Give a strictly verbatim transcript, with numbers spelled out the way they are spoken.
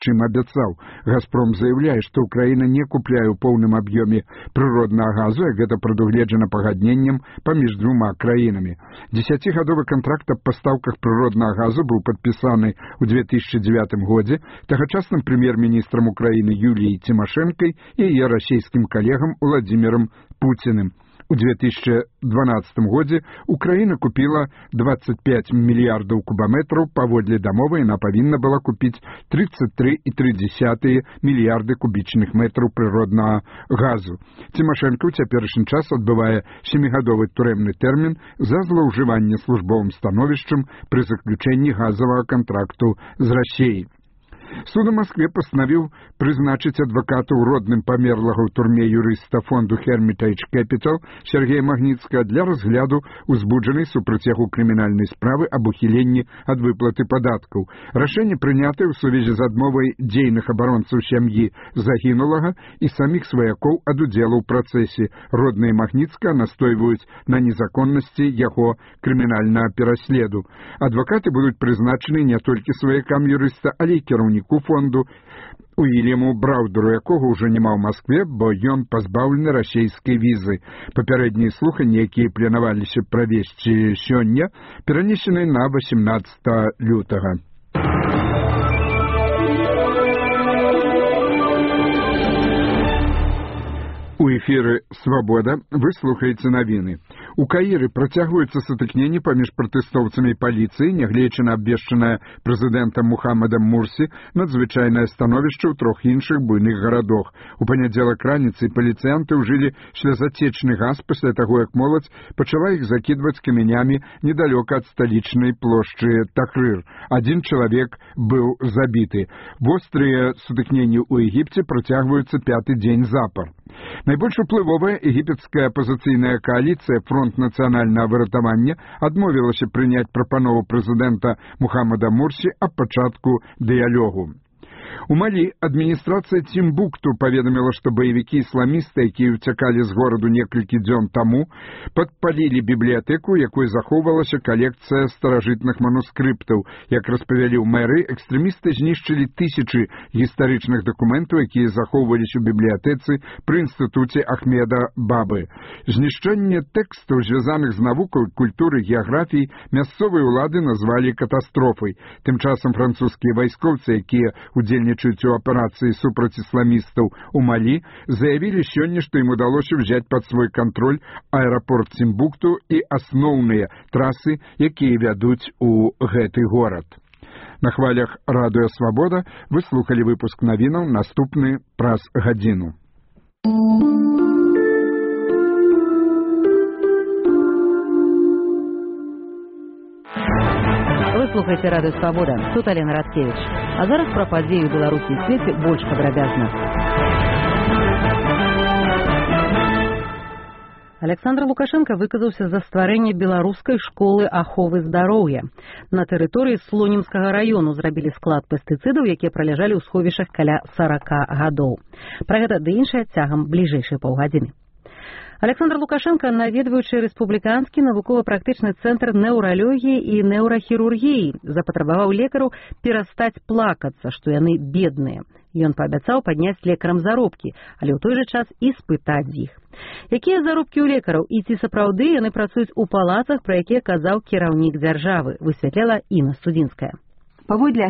чым абяцаў. «Газпром» заявляе, што Украіна не купляе ў поўным аб'ёме прыроднага газу, як гэта прадугледжана пагадненнем паміж двума краінамі. Дзесяцігадовы кантракт аб пастаўках прыроднага газу быў падпісаны ў две тысячы дзевятым годзе тагачасным прэм'ер-міністрам Украіны Юліяй Цімашэнкай і яе расійскім калегам Владзімірам Пуціным. У две тысячи дванадцатым годзе Украіна купіла двадцать пять мільярдаў кубаметраў, паводле дамовы яна павінна была купіць тридцать три и три десятых мільярды кубічных метраў прыроднага газу. Цімашэнка ў цяперашні час адбывае сямігадовы турэмны тэрмін за злоўжыванне службовым становішчам пры заключэнні газавага кантракту з Расіяй. Суд у Москве пастанавіў прызначыць адваката ў родным памерлага ў турме юрыста фонду Hermitage Capital Сергея Магніцкага для разгляду узбуджанай супраць яго крымінальнай справы аб ухіленні ад выплаты падаткаў. Рашэнне прынятае ў сувязі з адмовай дзейных абаронцаў сям'і загінулага і саміх сваякоў ад удзелу ў працэсе. Родныя Магніцкага настойваюць на незаконнасці яго крымінальнага пераследу. Адвакаты будуць прызначаны не толькі сваякам юрыста, але і кіраўнікам фонду Уильяму Браўдеру, якога ўжо няма ў Маскве, бо ён пазбаўлены расійскай візы. Папярэднія слуханні, якія планаваліся правесці сёння, перанесены на восемнадцатое лютага. У эфіры «Свабода» вы слухаеце навіны. У Каіры працягваюцца сутыкненні паміж пратэстоўцамі і паліцыяй, нягледзячы на абвешчанае прэзідэнтам Мухаммадам Мурсі надзвычайнае становішча ў трох іншых буйных гарадах. У панядзелак раніцай паліцыянты ўжылі слязатечны газ пасля таго, як моладзь пачала іх закідваць камянямі недалёка ад сталічнай плошчы Тахрыр. Адзін чалавек быў забіты. Вострыя сутыкненні ў Егіпце працягваюцца пяты дзень запар. Найбольш уплывовая егіпецкая апазіцыйная кааліцыя «Фронт нацыянальнага выратавання» адмовілася прыняць прапанову прэзідэнта Мухаммада Мурсі аб пачатку дыялогу. У Малі адміністрацыя Цімбукту паведаміла, што баевікі ісламісты, якія ўцякалі з гораду некалькі дзён таму, падпалілі бібліятэку, якой захоўвалася калекцыя старажытных манускрыптаў. Як распавялі ў мэры, экстрэмісты знішчылі тысячы гістарычных дакументаў, якія захоўваліся ў бібліятэцы пры інстытуце Ахмеда Бабы. Знішчэнне тэкстаў, звязаных з навукай, культурай, геаграфіяй, мясцовыя ўлады назвалі катастрофай. Тым часам французскія вайскоўцы, якія удзельнічаюць у аперацыі супраць ісламістаў у Малі, заявілі сёння, што ім удалося ўзяць пад свой кантроль аэрапорт Цімбукту і асноўныя трасы, якія вядуць у гэты горад. На хвалях радыё «Свабода» вы слухалі выпуск навінаў, наступны праз гадзіну. Слухайте радыё «Свабода». Тут Алена Радкевич. А зараз пра падзеі ў Беларусі і свеце больш падрабязна. Александр Лукашенко выказаўся за стварэнне беларускай школы аховы здароўя. На тэрыторыі Слонімскага раёну зрабілі склад пестыцыдаў, якія праляжалі ў сховішах каля сорока гадоў. Пра гэта ды іншае цягам бліжэйшай паўгадзіны. Александр Лукашенко, наведваючы рэспубліканскі навукова-практычны цэнтр неўралогіі і неўрахірургіі, запатрабаваў лекараў перастаць плакацца, што яны бедныя. Ён паабяцаў падняць лекарам заробкі, але ў той жа час і спытаць з іх. Якія заробкі ў лекараў і ці сапраўды яны працуюць у палацах, пра якія казаў кіраўнік дзяржавы, высвятляла Інна Студзінская. Паводле